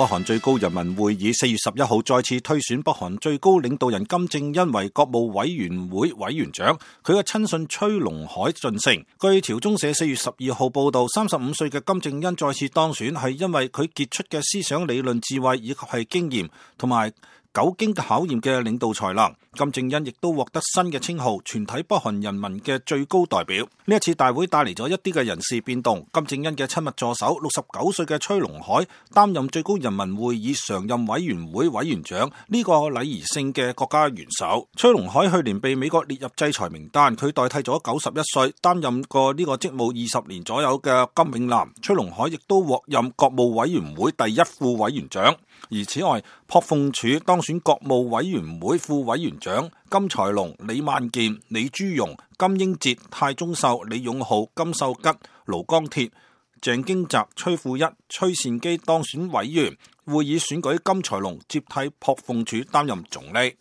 北韓最高人民會議4月11號再次推選北韓最高領導人金正恩為國務委員會委員長，佢嘅親信崔龍海晉升。據朝中社4月12號報道，35歲嘅金正恩再次當選係因為佢傑出嘅思想理論智慧以及係經驗同埋久經考驗嘅領導才能。金正恩亦都獲得新嘅稱號，全體北韓人民嘅最高代表。呢一次大會帶嚟咗一啲嘅人事變動，金正恩嘅親密助手69歲嘅崔龍海擔任最高人民會議常任委員會委員長，呢個禮儀性嘅國家元首。崔龍海去年被美國列入制裁名單，佢代替咗91歲擔任過呢個職務20年左右嘅金永南。崔龍海亦都獲任國務委員會第一副委員長。而此外，朴鳳柱當選國務委員會副委員長，金才龍、李萬健、李朱容、金英哲、泰忠秀、李勇浩、金秀吉、盧江鐵、鄭經澤、崔富一、崔善基當選委員。會議選舉金才龍接替朴鳳柱擔任總理。